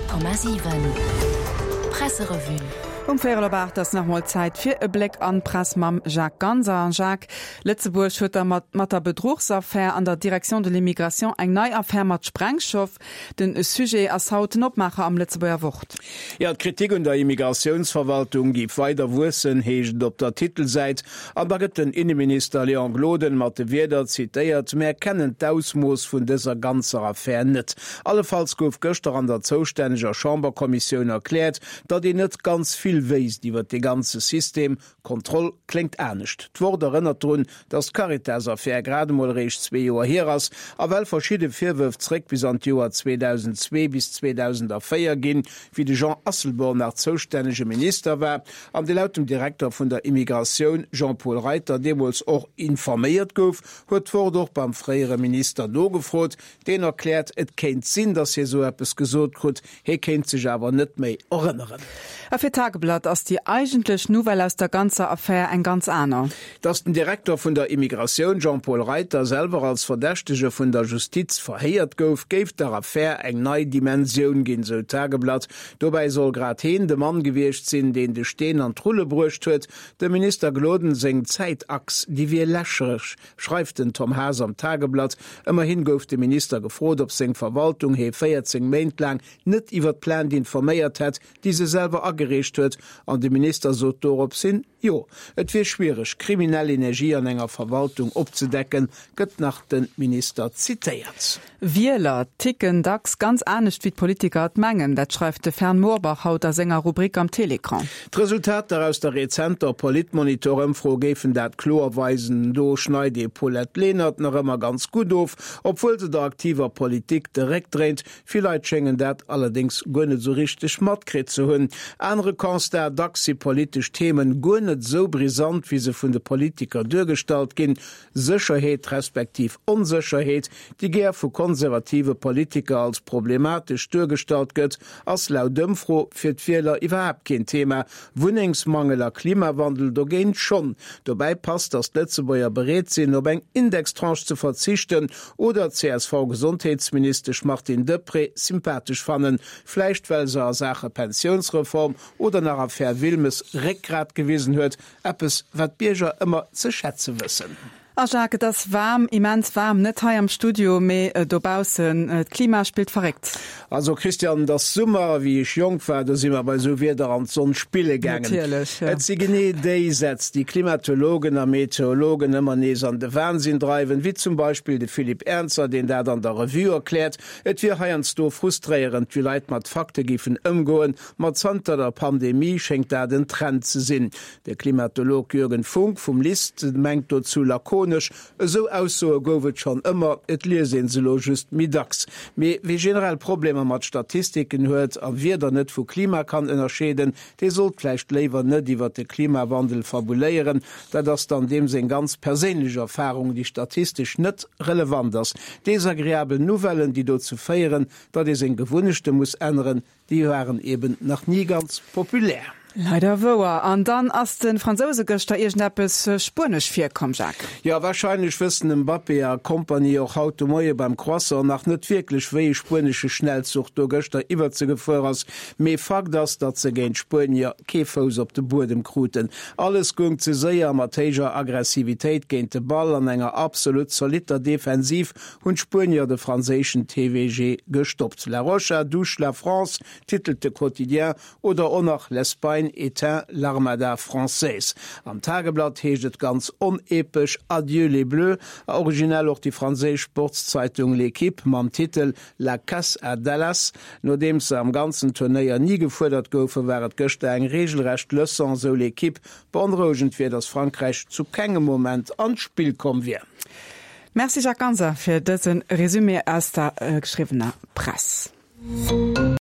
100,7 Presserevue. Um véierel op 8 ass nach emol Zäit fir e Bléck an d'Press mam Jacques Ganser. An Jacques, Lëtzebuerg huet da mat mat der Bedruchsaffär an der Direction de l'immigration eng nei Affär mat Sprengstoff. Den Sujet ass haut den Opmaacher am Lëtzebuerger Wort. Jo, d'Kritik un der Immigratiounsverwaltung géif weider wuessen, heescht et op der Titelsäit. An da gëtt den Inneminister Léon Gloden mat de Wierder zitéiert, Mär kennen d'Ausmooss vun dëser ganzer Affär net. Allefalls gouf gëschter an der zoustänneger Chamberkommissioun erkläert, datt een net ganz vill wéisst iwwer dee ganze System. Kontroll kléngt anescht. D'Wort erënnert drun, datt d'Caritas-Affär grad emol eréischt zwee Joer hier ass a well verschidde Virwërf zréck bis an d'Joer 2002 bis 2004 ginn, wéi de Jean Asselborn nach zoustännege Minister war an dee laut dem Direkter vun der Immigratioun Jean-Paul Reiter deemools och informéiert gouf, huet d'Wort och beim fréiere Minister nogefrot. Deen erkläert, et kéint sinn, datt hie sou eppes gesot krut, Hie kéint sech awer net méi erënneren. A fir d'Tageblatt ass déi eigentlech Nouvelle aus der ganzer Affär eng ganz aner. Datt den Direkter vun der Immigratioun Jean-Paul Reiter selwer als Verdächtege vun der Justiz verhéiert gouf, géif der Affär eng nei Dimensioun ginn, sou d'Tageblatt. Dobäi soll grad heen de Mann gewiescht sinn, deen de Steen an d'Rulle bruecht huet. Dem Minister Gloden seng Zäitachs, déi wier lächereg. Schreift den Tom Haas am Tageblatt. Ëmmerhin gouf de Minister gefrot, ob seng Verwaltung hee 14 Méint laang net iwwer d'Plainte informéiert hätt, déi se selwer agereecht huet. An de Minister sot dorops hin, Jo, et wier schwiereg, kriminell Energie an enger Verwaltung opzedecken, gëtt nach de Minister zitéiert. Wieler ticken dacks ganz anescht wéi d'Politiker et mengen. Dat schreift de Fern Morbach haut a senger Rubrik am Télécran. D'Resultater aus der rezenter Politmonitor-Ëmfro géifen dat kloer weisen. Do schneit ee Paulette Lenert nach ëmmer ganz gutt of, obwuel se der aktiver Politik de Réck dréint. Vill Leit schéngen dat allerdéngs guer net esou richteg matkritt ze hunn. Anere Constat, Dacks si politesch Themen guer net esou brisant, wéi se vun de Politiker duergestallt ginn. Sécherheet respektiv Onsécherheet, déi gär vu konservative Politiker als problematesch duergestallt gëtt, ass laut Ëmfro fir d'Wieler iwwerhaapt keen Thema. Wunnengsmangel a Klimawandel dogéint schonn. Dobäi passt, datt d'Lëtzebuerger bereet sinn, op eng Indextranche ze verzichten oder d'CSV-Gesondheetsministesch Martine Deprez sympathesch fannen, vläicht well se a Saache Pensiounsreform oder nach Affär Wilmes Réckgrat gewisen huet, Eppes, wat d'Bierger ëmmer ze schätze wëssen. A Jacques, et ass waarm, immens waarm, net hei am Studio, mee dobaussen. D'Klima spillt verréckt. Also Christian, et ass Summer. Wéi ech jonk war, do si mer bei esou Wieder an d'Sonn spille gaangen. Natierlech, jo. Et si genee déi Sätz, déi Klimatologen a Meteorologen ëmmer nees an de Wahnsinn dreiwen, wéi zum Beispill de Philippe Ernzer, deen dat an der Revue erkläert. Et wier heiansdo frustréierend, wéi Leit mat Fakte géifen ëmgoen, Ma zanter der Pandemie schéngt dat en Trend ze sinn. De Klimatolog Jürgen Funk vum LIST mengt dozou lakonesch, Esou Aussoe gouf et schonn ëmmer, et liest een se elo just méi dacks. Mee wie generell Problemer mat Statistiken huet a Wieder net vu Klima kann ënnerscheeden, dee sollt vläicht léiwer net iwwer de Klimawandel fabuléieren. Dat ass dann deem seng ganz perséinlech Erfarung, déi statistesch net relevant ass. Desagreabel Nouvellen, déi dozou féieren, datt ee seng Gewunnechte muss änneren, Déi waren eben nach ni ganz populär. Leider wouer. An dann ass de Fransouse gëschter iergendeppes spuenesch virkomm, Jacques. Jo, warscheinlech wëssen Mbappé a Kompanie och haut de Moie beim Croissant nach net wierklech, wéi e spuenesche Schnellzuch do gëschter iwwert se gefuer ass. Mee Fakt ass, datt se géint d'Spuenier kee Fouss op de Buedem kruten. Alles goung ze séier, mat héijer Aggressivitéit géint de Ball an enger absolut zolitter Defensiv hunn d'Spuenier de franséischen TVG gestoppt. La Roja douche la France, titelt de Quotidien, oder och nach L'Espagne éteint l'armada française. Am Tageblatt heescht et ganz onepesch Adieu les Bleus, a originell och déi franséisch Sportszeitung L'Equipe mam Titel La casse à Dallas. Nodeems se am ganzen Turnéier ni gefuerdert goufen, war et gëschter eng reegelrecht Leçon, sou L'Equipe. Beonrouegend wier, datt Frankräich zu kengem Moment an d'Spill komm wier. Merci Jacques Ganser fir dëse Résumé aus der geschriwwener Press.